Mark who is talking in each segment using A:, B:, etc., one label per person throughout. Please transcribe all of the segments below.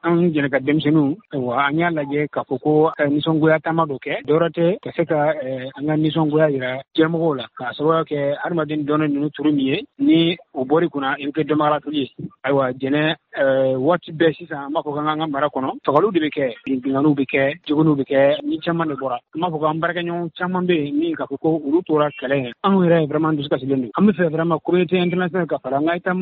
A: An jɛnɛ ka denmisɛnninw, ayiwa, an y'a lajɛ k'a fɔ ko nisɔngoya taama dɔ kɛ. Dɔwɛrɛ tɛ, ka se ka an ka nisɔngoya yira diɲɛmɔgɔw la, k'a sababuya kɛ hadamaden dɔnnen ninnu turu min ye, ni o bɔr'i kunna, i bɛ kɛ dɔnbagalafili ye. Ayiwa, Jɛnɛ, waati bɛɛ sisan, an b'a fɔ k'an ka mara kɔnɔ, fagaliw de bɛ kɛ, binkanniw bɛ kɛ, jogoniw bɛ kɛ, ni caman de bɔra. An b'a fɔ k'an baarakɛɲɔgɔn caman bɛ yen min k'a fɔ ko olu tora kɛlɛ ye. Anw yɛrɛ vraiment dusu kasilen don. An bɛ fɛ vraiment communauté internationale ka fara an ka État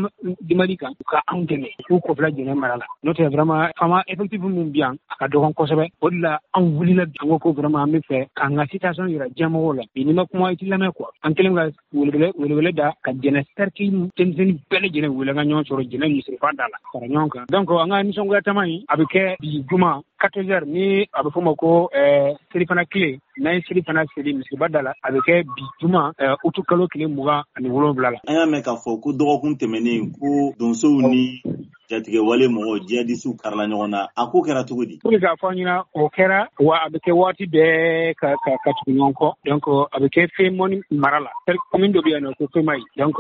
A: du Mali kan, u ka anw dɛmɛ k'u kɔfila Jɛnɛ mara la. N'o tɛ, vraiment FAMa effectif min bi yan, a ka dɔgɔn kosɛbɛ. O de la anw wulila bi, an ko ko vraiment an bɛ fɛ k'an ka situation yira diɲɛmɔgɔw la. Bi, n'i ma kuma, i t'i lamɛn quoi. An kɛlen ka welewele da ka Jɛnɛ cercle denmisɛnnin bɛɛ lajɛlen wele, an ka ɲɔgɔn sɔrɔ Jɛnɛ misiriba da la, fara ɲɔgɔn kan. Donc an ka nisɔngoya taama in, a bɛ kɛ bi juma 14 heures, ni a bɛ fɔ o ma ko selifana tile. N'an ye selifana seli misiriba da la, a bɛ kɛ bi juma, utu kalo tile 27 la.
B: An y'a mɛn k'a fɔ ko dɔgɔkun tɛmɛnen ko donsow ni jatigɛwale mɔgɔ jihadisiw karila ɲɔgɔn na. A ko kɛra cogo di?
A: Pour que k'a fɔ an ɲɛna, o kɛra wa, a bɛ kɛ waati bɛɛ ka tugu ɲɔgɔn kɔ. Donc a bɛ kɛ Femɔni mara la, commune dɔ bɛ yen nɔ ko Femayi. Donc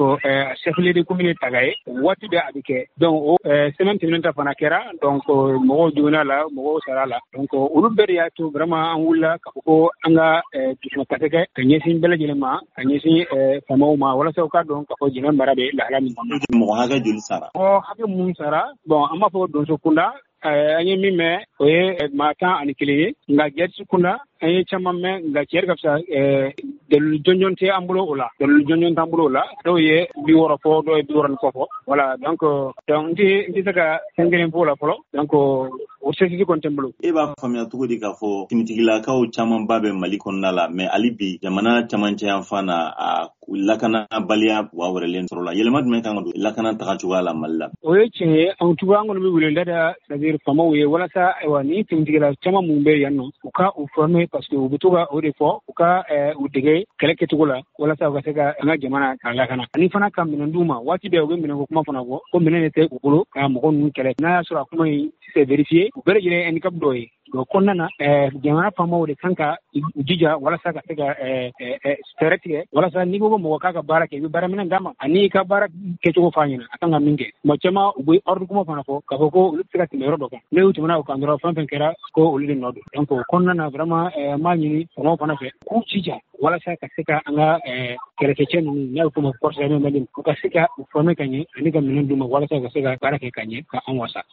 A: chef lieu de commune ye Taga ye. Waati bɛɛ a bɛ kɛ. Donc o semaine tɛmɛnen ta fana kɛra. Donc mɔgɔw joginna la, mɔgɔw sara la. Donc olu bɛɛ de y'a to vraiment an wulila k'a fɔ ko an ka dusumakasi kɛ ka ɲɛsin bɛɛ lajɛlen ma, ka ɲɛsin faamaw ma, walasa u k'a dɔn k'a fɔ Jɛnɛ mara bɛ lahala min kɔnɔ.
B: Mɔgɔ hakɛ joli sara?
A: Mɔgɔ hakɛ mun sara, bon, an b'a fɔ donso kunda, an ye min mɛn, o ye maa 11 ye. Nka jɛsi kunda, an ye caman mɛn, nka cɛ ka fisa, dalilu jɔnjɔn tɛ an bolo o la, dalilu jɔnjɔn t'an bolo o la. Dɔw ye 60 fɔ, dɔw ye 60 ni kɔ fɔ. Voilà, donc n tɛ se ka fɛn kelen fɔ o la fɔlɔ. Donc o certitude kɔni tɛ n bolo.
B: E b'a faamuya cogo di k'a fɔ finitigilakaw camanba bɛ Mali kɔnɔna la, mais hali bi jamana camancɛ yanfan na, a lakanabaliya wa wɛrɛlen sɔrɔ la? Yɛlɛma jumɛn kan ka don lakana taga cogoya la Mali la?
A: O ye tiɲɛ ye. En tout cas, an kɔni bɛ wele da, c'est à dire faamaw ye, walasa ayiwa, ni finitigila caman mun bɛ yan nɔ, u ka u former, parce que u bɛ to ka o de fɔ, u ka u dege kɛlɛ kɛcogo la, walasa u ka se ka an ka jamana k'a lakana, ani fana ka minɛn d'u ma. Waati bɛɛ u bɛ minɛnko kuma fana fɔ, ko minɛn de tɛ u bolo ka mɔgɔ ninnu kɛlɛ. N'a y'a sɔrɔ a kuma in c'est vérifié, u bɛɛ lajɛlen ye handicap dɔ ye. O kɔnɔna na, jamana faamaw de kan ka u jija walasa ka se ka fɛɛrɛ tigɛ, walasa n'i ko ko mɔgɔ k'a ka baara kɛ, i bɛ baaraminɛn d'a ma ani i ka baara kɛcogo f'a ɲɛna, a kan ka min kɛ. Tuma caman u bɛ ordre kuma fana fɔ k'a fɔ ko olu tɛ se ka tɛmɛ yɔrɔ dɔ kan, n'u tɛmɛna o kan dɔrɔn, fɛn fɛn kɛra, ko olu de nɔ don. Donc o kɔnɔna na, vraiment, an b'a ɲini faamaw fana fɛ k'u jija walasa ka se ka an ka kɛlɛkɛcɛ ninnu, n'a bɛ f'o ma force armée malienne, u ka se ka u former ka ɲɛ ani ka minɛn d'u ma, walasa u ka se ka baara kɛ ka ɲɛ, ka an wasa.